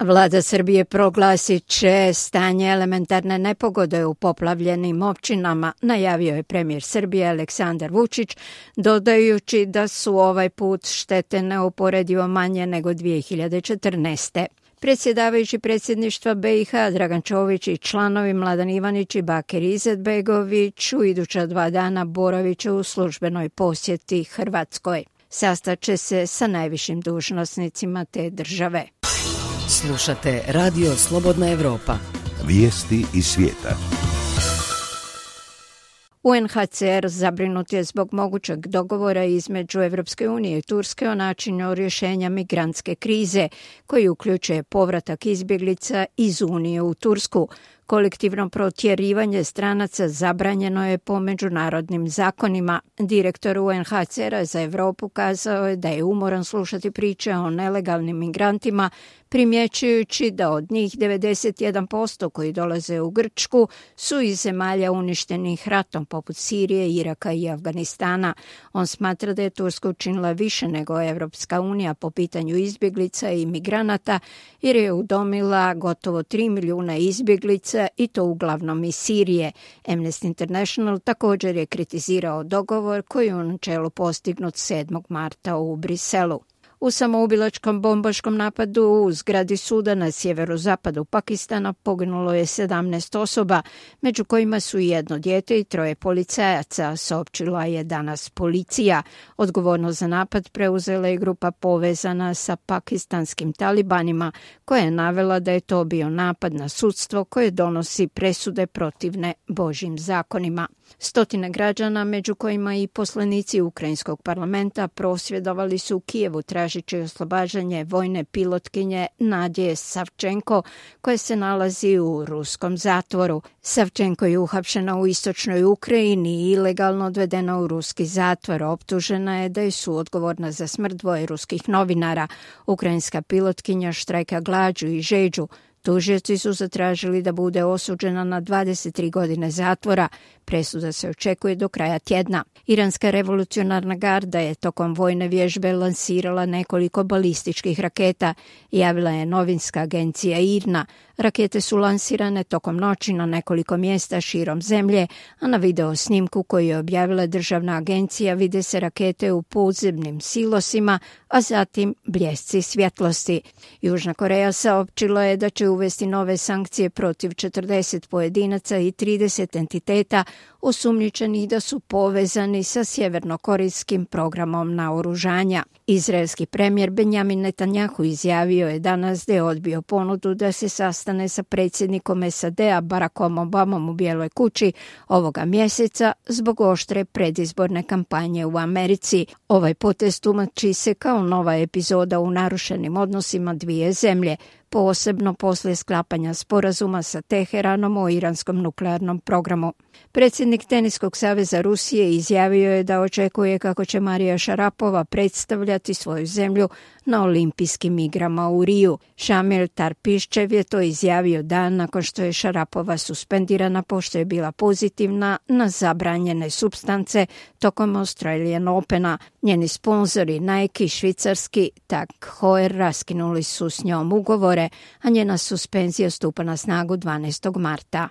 Vlada Srbije proglasit će stanje elementarne nepogode u poplavljenim općinama, najavio je premijer Srbije Aleksandar Vučić, dodajući da su ovaj put štete neuporedivo manje nego 2014. Predsjedavajući predsjedništva BiH Dragan Čović i članovi Mladen Ivanić i Bakir Izetbegović u iduća 2 dana boravit će u službenoj posjeti Hrvatskoj. Sastaće se sa najvišim dužnosnicima te države. Slušate Radio Slobodna Evropa. Vijesti iz svijeta. UNHCR zabrinut je zbog mogućeg dogovora između Evropske unije i Turske o načinu rješenja migrantske krize, koji uključuje povratak izbjeglica iz Unije u Tursku. Kolektivno protjerivanje stranaca zabranjeno je po međunarodnim zakonima. Direktor UNHCR-a za Europu kazao je da je umoran slušati priče o nelegalnim migrantima, primjećujući da od njih 91% koji dolaze u Grčku su iz zemalja uništenih ratom poput Sirije, Iraka i Afganistana. On smatra da je Turska učinila više nego Evropska unija po pitanju izbjeglica i migranata, jer je udomila gotovo 3 milijuna izbjeglica i to uglavnom iz Sirije. Amnesty International također je kritizirao dogovor koji je u načelu postignut 7. marta u Briselu. U samoubilačkom bombaškom napadu u zgradi suda na sjeverozapadu Pakistana poginulo je 17 osoba, među kojima su i 1 dijete i 3 policajaca, saopćila je danas policija. Odgovornost za napad preuzela je grupa povezana sa pakistanskim talibanima, koja je navela da je to bio napad na sudstvo koje donosi presude protivne Božjim zakonima. Stotine građana, među kojima i poslanici Ukrajinskog parlamenta, prosvjedovali su u Kijevu tražeći oslobađanje vojne pilotkinje Nadje Savčenko, koja se nalazi u ruskom zatvoru. Savčenko je uhapšena u istočnoj Ukrajini i ilegalno odvedena u ruski zatvor. Optužena je da je suodgovorna za smrt 2 ruskih novinara. Ukrajinska pilotkinja štrajka glađu i žeđu. Tužioci su zatražili da bude osuđena na 23 godine zatvora. Presuda se očekuje do kraja tjedna. Iranska revolucionarna garda je tokom vojne vježbe lansirala nekoliko balističkih raketa, javila je novinska agencija IRNA. Rakete su lansirane tokom noći na nekoliko mjesta širom zemlje, a na video snimku koji je objavila državna agencija vide se rakete u podzemnim silosima, a zatim bljesci svjetlosti. Južna Koreja saopćila je da će uvesti nove sankcije protiv 40 pojedinaca i 30 entiteta osumnjičenih da su povezani sa sjevernokorejskim programom naoružanja. Izraelski premijer Benjamin Netanjahu izjavio je danas da je odbio ponudu da se sastane sa predsjednikom SAD-a Barackom Obamom u Bijeloj kući ovoga mjeseca zbog oštre predizborne kampanje u Americi. Ovaj potez tumači se kao nova epizoda u narušenim odnosima dvije zemlje, posebno poslije sklapanja sporazuma sa Teheranom o iranskom nuklearnom programu. Predsjednik Teniskog saveza Rusije izjavio je da očekuje kako će Marija Šarapova predstavljati svoju zemlju na olimpijskim igrama u Riju. Šamil Tarpiščev je to izjavio dan nakon što je Šarapova suspendirana pošto je bila pozitivna na zabranjene supstance tokom Australian Opena. Njeni sponzori Nike i švicarski Tag Heuer raskinuli su s njom ugovore, a njena suspenzija stupa na snagu 12. marta.